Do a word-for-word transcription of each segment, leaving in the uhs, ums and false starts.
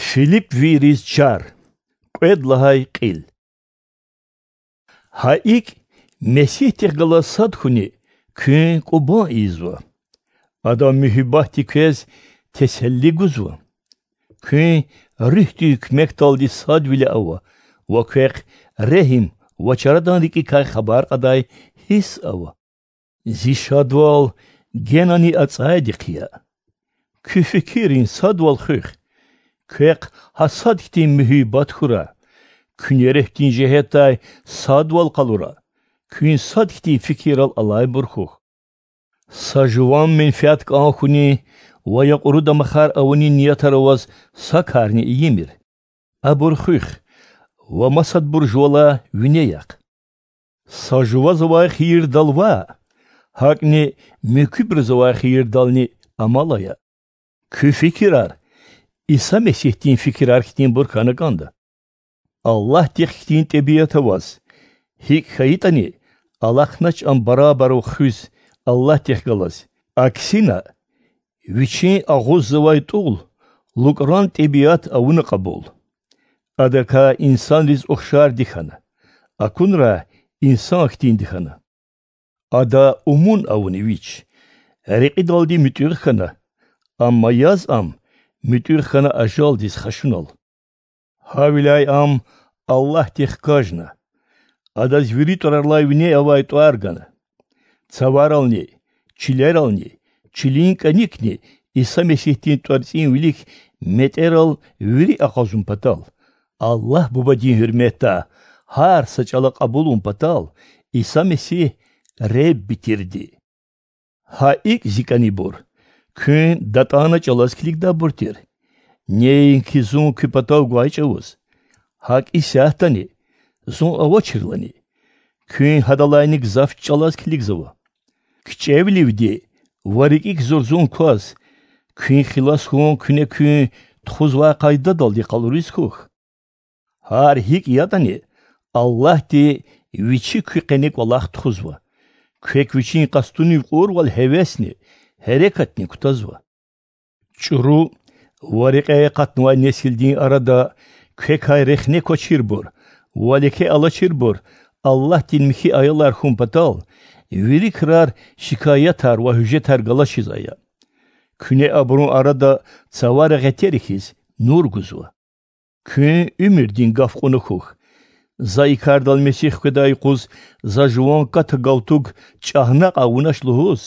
Филиппвийриз чар. Кьвед лагьай кьил. Гьа икӀ, Месигьдихъ галаз сад хьуни куьн кӀубан ийизва. Адан муьгьуьббатди квез теселли гузва. Куьн Руьгьдин куьмекдалди садвиле ава ва квехъ регьим ва чарадан рикӀикай хабар кьадай гьисс ава. Зи шадвал генани ацӀайди хъия. Куь фикиррин садвал хуьх. Квехъ гьа сад хьтин муьгьуьббат хьурай. Куьне Руьгьдин жигьетдай садвал къалурай. Куьн сад хьтин фикирал алайбур хьухь. Са жуван менфят кӀан хьунин ва я кьуру дамахар авунин ниятар аваз са карни ийимир. Абур хуьх ва масадбур жувалай вине яхъ. Са жуваз авай хийирдал ваъ, гьакӀни муькуьбуруз авай хийирдални амал ая. Куь фикирар Иса Месигьдин фикирар хьтинбур хьана кӀанда. Аллагьдихъ хьтин тӀебиат аваз, гьикӀ хьайитӀани, алахънач ам барабарав хуьз Аллагьдихъ галаз, аксина, вичин агъуззавай тӀул лукӀран тӀебиат авуна кьабул. Адакай инсанриз ухшарди хьана, акунрай инсан хьтинди хьана. Ада умун авуна вич, рекьидалди муьтӀуьгъ хьана, амма яз ам муьтӀуьгъ хьана ажалдиз хашунал. Гьавиляй ам Аллагьди хкажна. Адаз вири тӀварарилай вине авай тӀвар гана. Цаварални, чилерални, чилин кӀаникни Иса Месигьдин тӀварцӀин вилик метӀерал вири акъвазун патал, Аллагь Бубадин гьуьрметда гьар са чӀала кьабулун патал Иса Месигь Ребби тирди. Гьа икӀ, зи кӀанибур, куьн датӀана чӀалаз килигдайбур тир. Неинки зун куь патав гвай чӀавуз, гьакӀ исятдани, зун авачирлани, куьн гьадалайни гзаф чӀалаз килигзава. КичӀевиливди ва рикӀик зурзун кваз, куьн хилас хьун куьне куьн тухузвай къайдадалди къалуриз хьухь. Гьар гьикӀ ятӀани, Аллагьди Вичи куь къене кӀвалах тухузва. Квек Вичин къастунив кьурвал гьевесни, гьерекатни кутазва. ЧӀуру ва рекьяй акъатнавай несилдин арада квекай рехне квачирбур ва леке алачирбур Аллагьдин михьи аялар хьун патал, вири крар шикаятар ва гьуьжетар галачиз ая. Куьне абурун арада цавара гъетера хьиз нур гузва. Куьн уьмуьрдин гаф кьуна хьухь. За и кардал меси хкведай юкъуз за жуван ката-галтуг чӀагънакь авунач лугьуз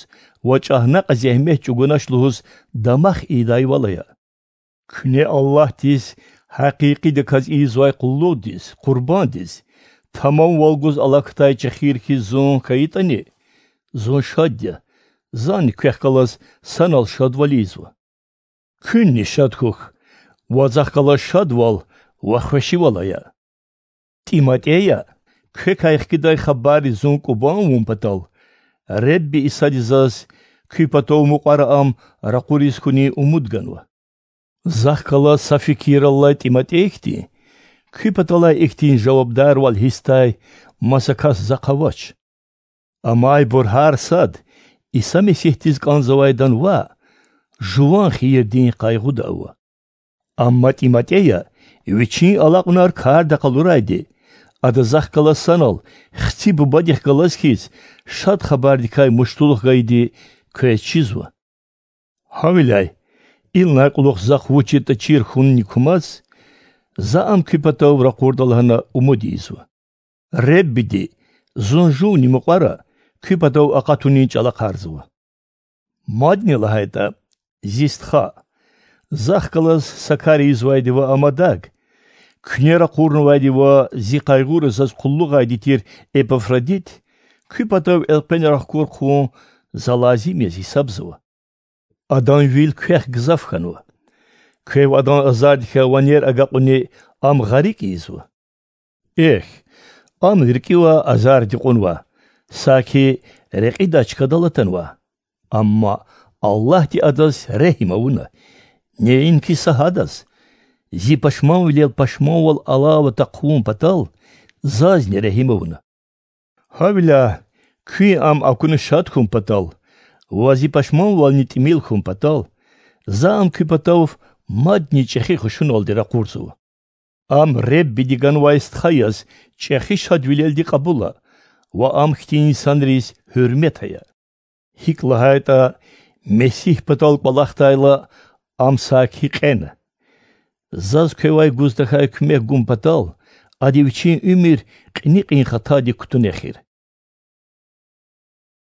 ва чӀагънакь зегьмет чӀугунач лугьуз дамах ийидайвал ая. Куьне Аллагьдиз гьакъикъидаказ ийизвай къуллугъдиз, къурбандиз, тамамвал гуз алахъдай чехир хьиз зун хьайитӀани, зун шад я, зани квехъ галаз санал шадвал ийизва. Куьнни шад хьухь ва Захъ галаз шадвал ва хвешивал ая. ТӀиматӀея, квекай хкидай хабарриз зун кӀубан авун патал, Ребби Исади заз куь патав мукьвара ам ракъуриз хьунин умуд ганва. Захъ галаз са фикираллай ТӀиматӀей хьтин, куь паталай ихьтин жавабдарвал гьисдай маса кас Захъ авач. Амайбур гьар сад Иса Месигьдиз кӀанзавайдан ваъ, жуван хийирдин къайгъуда ава. Амма ТӀиматӀея вичин алакьунар карда къалурайди, ада Захъ галаз санал хци бубадихъ галаз хьиз Шад Хабардикай муштулух гайиди квез чизва. Гьавиляй, инлай кьулухъ Захъ вуч ятӀа чир хьунни кумаз, за ам куь патав ракъурда лагьана умуд ийизва. Реббиди, зун жувни мукьвара, куь патав акъатунин чӀалахъарзава. Мадни лагьайтӀа, зи стха, Захъ галаз са кар ийизвайди ва ам адаг, куьне ракъурнавайди ва зи къайгъура заз къуллугъайди тир Эпафродит куь патав элкъвена рахкур хъувун за лазим яз гьисабзава. Адан вил квехъ гзаф хьанва. Квев адан азардикай ванер агакьуни ам гъарикӀ ийизва. Эхь, ам рикӀивай азарди кьунва, саки рекьидай чкадал атанва. Амма Аллагьди адаз регьим авуна, неинки са гьадаз, зи пашманвилел пашманвал алава тахъ хъувун патал, зазни регьим авуна. Гьавиляй, куьн ам акуна шад хьун патал ва зи пашманвални тӀимил хьун патал, за ам куь патав мадни чӀехи хушуналди ракъурзава. Ам Худадин ганвай стха яз чӀехи шадвилелди кьабул ая ва Ам хьтин инсанриз гьуьрмет ая. ГьикӀ лагьайтӀа, Месигь патал кӀвалахдайла, Ам саки кьена. Заз квевай гуз тахьай куьмек гун патал Ада Вичин уьмуьр кьиникьин хатадик кутуна эхир.